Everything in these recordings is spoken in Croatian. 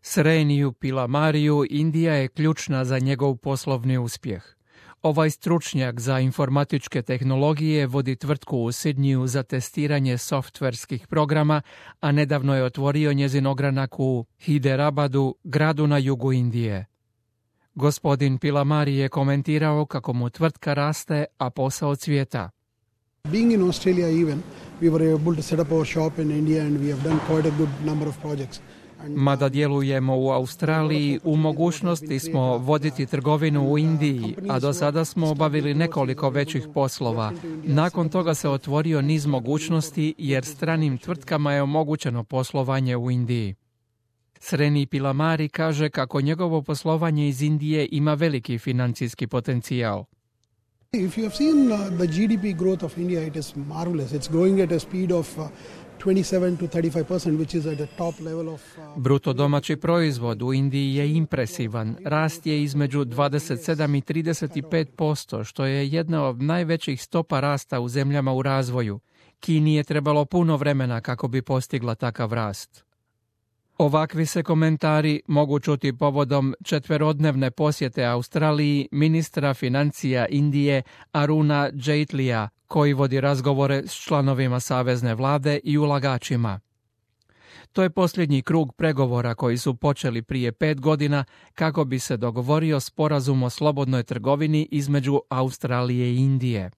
Sreniju Pilamariju Indija je ključna za njegov poslovni uspjeh. Ovaj stručnjak za informatičke tehnologije vodi tvrtku u Sidniju za testiranje softverskih programa, a nedavno je otvorio njezin ogranak u Hyderabadu, gradu na jugu Indije. Gospodin Pilamari je komentirao kako mu tvrtka raste, a posao cvjeta. Being in Australia even, we were able to set up our shop in India and we have done quite a good number of projects. Mada djelujemo u Australiji, u mogućnosti smo voditi trgovinu u Indiji, a do sada smo obavili nekoliko većih poslova. Nakon toga se otvorio niz mogućnosti jer stranim tvrtkama je omogućeno poslovanje u Indiji. Sreni Pilamari kaže kako njegovo poslovanje iz Indije ima veliki financijski potencijal. If you have seen the GDP growth of India, it is marvelous. It's growing at a speed of 27 to 35%, which is at the top level of... Bruto domaći proizvod u Indiji je impresivan. Rast je između 27 i 35%, što je jedna od najvećih stopa rasta u zemljama u razvoju. Kini je trebalo puno vremena kako bi postigla takav rast. Ovakvi se komentari mogu čuti povodom 4-dnevne posjete Australiji ministra financija Indije Aruna Jaitlija, koji vodi razgovore s članovima savezne vlade i ulagačima. To je posljednji krug pregovora koji su počeli prije 5 godina kako bi se dogovorio sporazum o slobodnoj trgovini između Australije i Indije.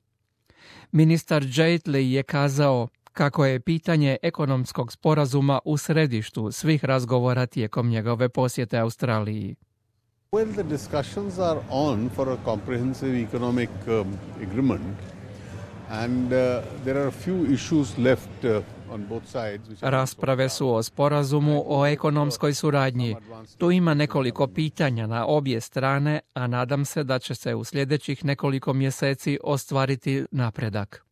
Ministar Jaitli je kazao kako je pitanje ekonomskog sporazuma u središtu svih razgovora tijekom njegove posjete Australiji. Well, the discussions are on for a comprehensive economic agreement and there are a few issues left on both sides. Rasprave su o sporazumu o ekonomskoj suradnji. Tu ima nekoliko pitanja na obje strane, a nadam se da će se u sljedećih nekoliko mjeseci ostvariti napredak.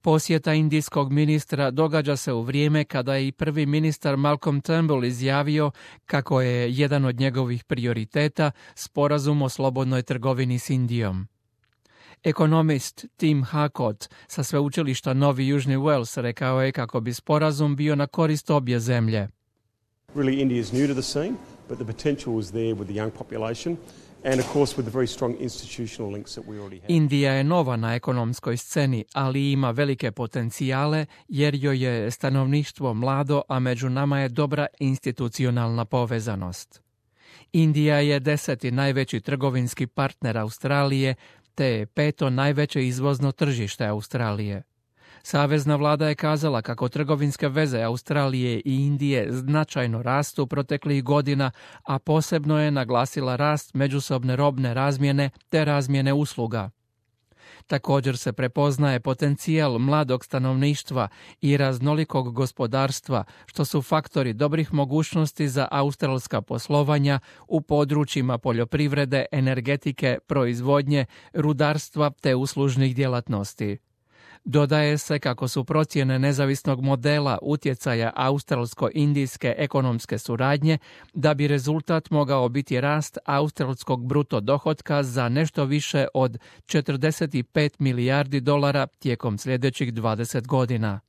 Posjeta indijskog ministra događa se u vrijeme kada je i prvi ministar Malcolm Turnbull izjavio kako je jedan od njegovih prioriteta sporazum o slobodnoj trgovini s Indijom. Ekonomist Tim Harcourt sa sveučilišta Novi Južni Wales rekao je kako bi sporazum bio na korist obje zemlje. Really, India is new to the scene, but the potential is there with the young population. And of course with the very strong institutional links that we already have. Indija je nova na ekonomskoj sceni, ali ima velike potencijale jer joj je stanovništvo mlado, a među nama je dobra institucionalna povezanost. Indija je 10. najveći trgovinski partner Australije, te je 5. najveće izvozno tržište Australije. Savezna vlada je kazala kako trgovinske veze Australije i Indije značajno rastu proteklih godina, a posebno je naglasila rast međusobne robne razmjene te razmjene usluga. Također se prepoznaje potencijal mladog stanovništva i raznolikog gospodarstva, što su faktori dobrih mogućnosti za australska poslovanja u područjima poljoprivrede, energetike, proizvodnje, rudarstva te uslužnih djelatnosti. Dodaje se kako su procjene nezavisnog modela utjecaja australsko-indijske ekonomske suradnje da bi rezultat mogao biti rast australskog bruto dohotka za nešto više od $45 milijardi tijekom sljedećih 20 godina.